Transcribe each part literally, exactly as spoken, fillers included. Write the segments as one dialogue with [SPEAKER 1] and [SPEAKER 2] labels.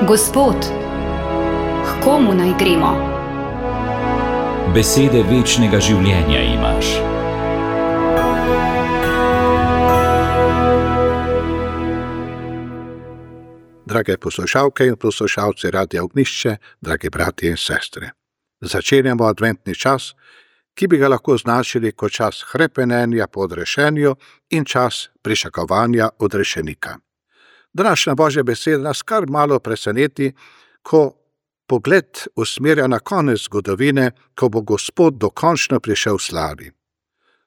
[SPEAKER 1] Gospod, k komu naj gremo?
[SPEAKER 2] Besede večnega življenja imaš.
[SPEAKER 3] Drage poslušalke in poslušalci Radia Ognjišče, dragi bratje in sestre. Začenjamo adventni čas, ki bi ga lahko označili kot čas hrepenenja po odrešenju in čas pričakovanja odrešenika. Današnja Božja beseda nas kar malo preseneti, ko pogled usmerja na konec zgodovine, ko bo Gospod dokončno prišel v slavi.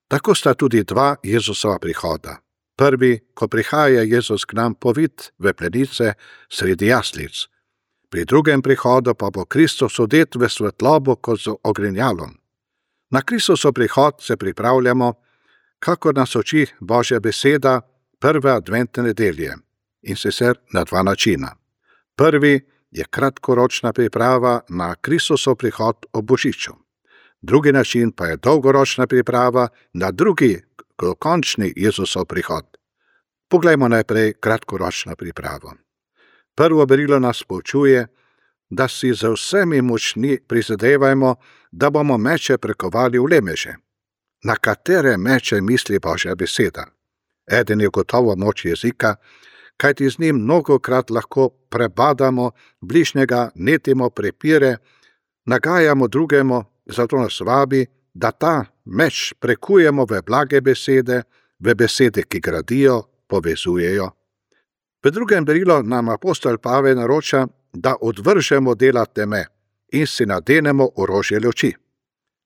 [SPEAKER 3] Tako sta tudi dva Jezusova prihoda. Prvi, ko prihaja Jezus k nam povit v plenice sredi jaslic. Pri drugem prihodu pa bo Kristus odet v svetlobo kot z ogrinjalom. Na Kristusov prihod se pripravljamo, kakor nas uči Božja beseda prve adventne nedelje, in sicer na dva načina. Prvi je kratkoročna priprava na Kristusov prihod ob božiču. Drugi način pa je dolgoročna priprava na drugi, končni Jezusov prihod. Poglejmo najprej kratkoročno pripravo. Prvo berilo nas poučuje, da si z vsemi močmi prizadevajmo, da bomo meče prekovali v lemeže. Na katere meče misli Božja beseda? Eden je gotovo moč jezika, kajti z njim mnogokrat lahko prebadamo bližnjega, netimo prepire, nagajamo drugemu, zato nas vabi, da ta meč prekujemo v blage besede, v besede, ki gradijo, povezujejo. V drugem berilu nam apostol Pavel naroča, da odvržemo dela teme in si nadenemo orožje luči.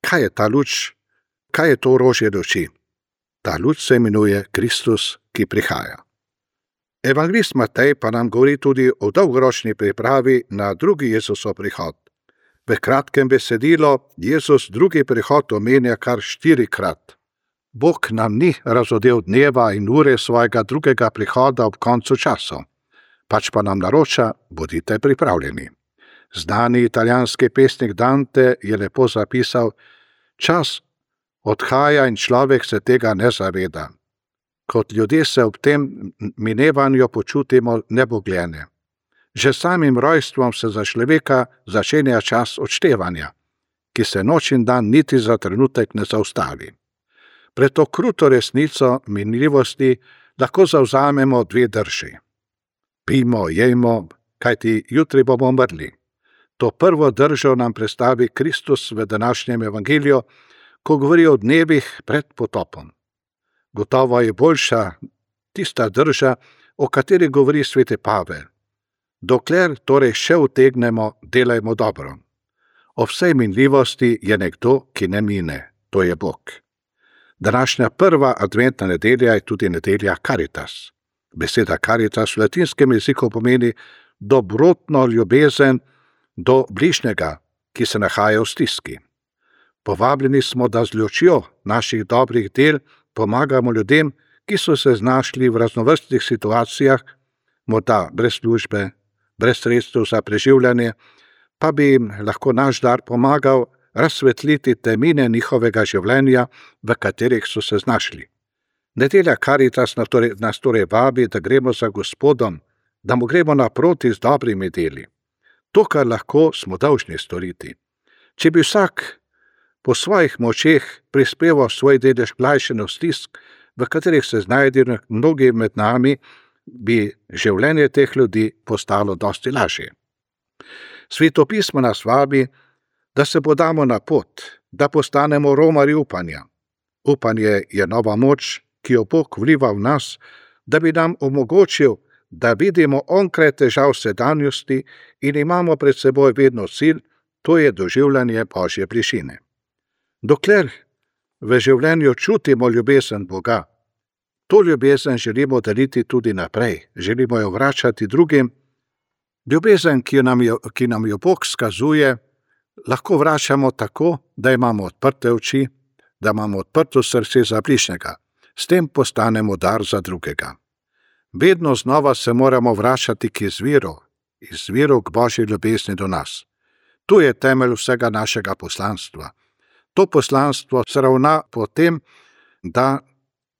[SPEAKER 3] Kaj je ta luč? Kaj je to orožje luči? Ta luč se imenuje Kristus, ki prihaja. Evangelist Matej pa nam govori tudi o dolgoročni pripravi na drugi Jezusov prihod. V kratkem besedilu Jezus drugi prihod omenja kar štirikrat. Bog nam ni razodel dneva in ure svojega drugega prihoda ob koncu časov, pač pa nam naroča, bodite pripravljeni. Znani italijanski pesnik Dante je lepo zapisal: čas odhaja in človek se tega ne zaveda. Kot ljudje se ob tem minevanju počutimo nebogljene. Že samim rojstvom se za človeka začenja čas odštevanja, ki se noč in dan niti za trenutek ne zaustavi. Pred to kruto resnico minljivosti lahko zavzamemo dve drži. Pijmo, jejmo, kajti jutri bomo umrli. To prvo držo nam predstavi Kristus v današnjem evangeliju, ko govori o dnevih pred potopom. Gotovo je boljša tista drža, o kateri govori sveti Pavel. Dokler torej še utegnemo, delajmo dobro. O vsej minljivosti je nekdo, ki ne mine, to je Bog. Današnja prva adventna nedelja je tudi nedelja Caritas. Beseda Caritas v latinskem jeziku pomeni dobrotno ljubezen do bližnjega, ki se nahaja v stiski. Povabljeni smo, da z lučjo naših dobrih del pomagamo ljudem, ki so se znašli v raznovrstnih situacijah, morda brez službe, brez sredstev za preživljanje, pa bi jim lahko naš dar pomagal razsvetliti temine njihovega življenja, v katerih so se znašli. Nedelja Caritas nas torej vabi, da gremo za Gospodom, da mu gremo naproti z dobrimi deli. To, kar lahko, smo dolžni storiti. Če bi vsak po svojih močeh prispeval svoj delež k lajšanju stisk, v katerih se znajdejo mnogi med nami, bi življenje teh ljudi postalo dosti lažje. Sveto pismo nas vabi, da se podamo na pot, da postanemo romarji upanja. Upanje je nova moč, ki jo Bog vliva v nas, da bi nam omogočil, da vidimo onkraj težav sedanjosti in imamo pred seboj vedno cilj, to je doživljanje Božje bližine. Dokler v življenju čutimo ljubezen Boga, to ljubezen želimo deliti tudi naprej, želimo jo vračati drugim. Ljubezen, ki nam jo, ki nam jo Bog skazuje, lahko vračamo tako, da imamo odprte oči, da imamo odprto srce za bližnjega. S tem postanemo dar za drugega. Vedno znova se moramo vračati k izviru, izviru k Božji ljubezni do nas. Tu je temelj vsega našega poslanstva. To poslanstvo se ravna po tem, da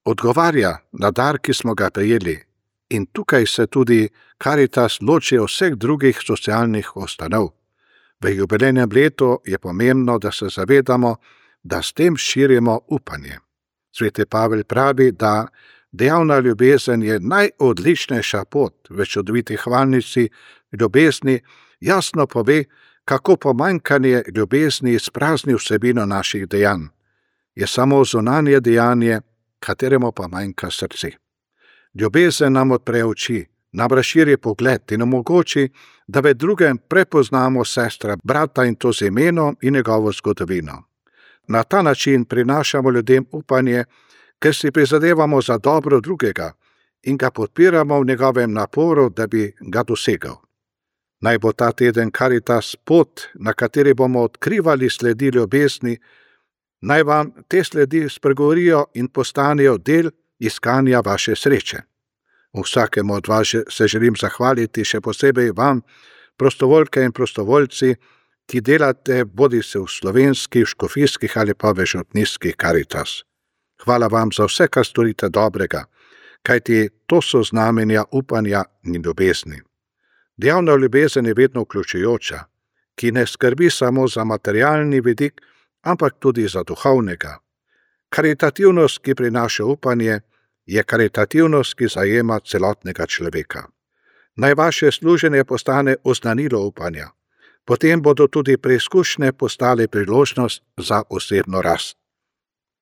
[SPEAKER 3] odgovarja na dar, ki smo ga prejeli, In tukaj se tudi Karitas loči od vseh drugih socialnih ustanov. V jubilejnem letu je pomembno, da se zavedamo, da s tem širimo upanje. Sveti Pavel pravi, da dejavna ljubezen je najodličnejša pot. V čudoviti hvalnici ljubezni jasno pove, kako pomanjkanje ljubezni izprazni vsebino naših dejanj. Je samo zunanje dejanje, kateremu pa manjka srce. Ljubezen nam odpre oči, nam razširi pogled in omogoči, da v drugem prepoznamo sestra, brata in to z imenom in njegovo zgodovino. Na ta način prinašamo ljudem upanje, ker si prizadevamo za dobro drugega in ga podpiramo v njegovem naporu, da bi ga dosegal. Naj bo ta teden Karitas pot, na kateri bomo odkrivali sledi ljubezni, naj vam te sledi spregovorijo in postanejo del iskanja vaše sreče. Vsakemu od vas se želim zahvaliti, še posebej vam, prostovoljke in prostovoljci, ki delate bodi se v slovenskih, škofijskih ali pa v župnijskih Karitas. Hvala vam za vse, kar storite dobrega, kajti to so znamenja upanja in ljubezni. Dejavna ljubezen je vedno vključujoča, ki ne skrbi samo za materialni vidik, ampak tudi za duhovnega. Karitativnost, ki prinaša upanje, je karitativnost, ki zajema celotnega človeka. Naj vaše služenje postane oznanilo upanja, potem bodo tudi preizkušnje postale priložnost za osebno rast.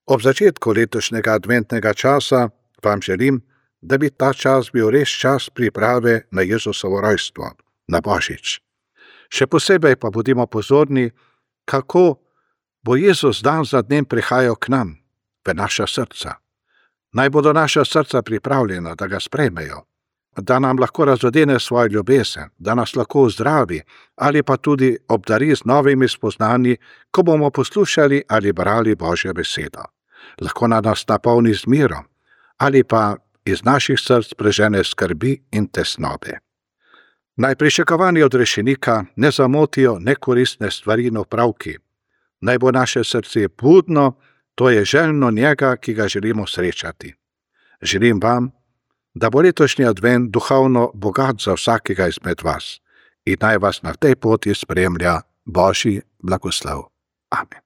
[SPEAKER 3] Ob začetku letošnjega adventnega časa vam želim, da bi ta čas bil res čas priprave na Jezusovo rojstvo, na Božič. Še posebej pa bodimo pozorni, kako bo Jezus dan za dnem prihajal k nam, v naša srca. Naj bodo naša srca pripravljena, da ga sprejmejo, da nam lahko razodene svojo ljubezen, da nas lahko zdravi ali pa tudi obdari z novimi spoznanji, ko bomo poslušali ali brali Božjo besedo. Lahko nas napolni z mirom ali pa iz naših src prežene skrbi in tesnobe. Naj pričakovani od rešenika ne zamotijo nekoristne stvari in opravki. Naj bo naše srce budno, to je željno njega, ki ga želimo srečati. Želim vam, da bo letošnji advent duhovno bogat za vsakega izmed vas in naj vas na tej poti spremlja Božji blagoslov. Amen.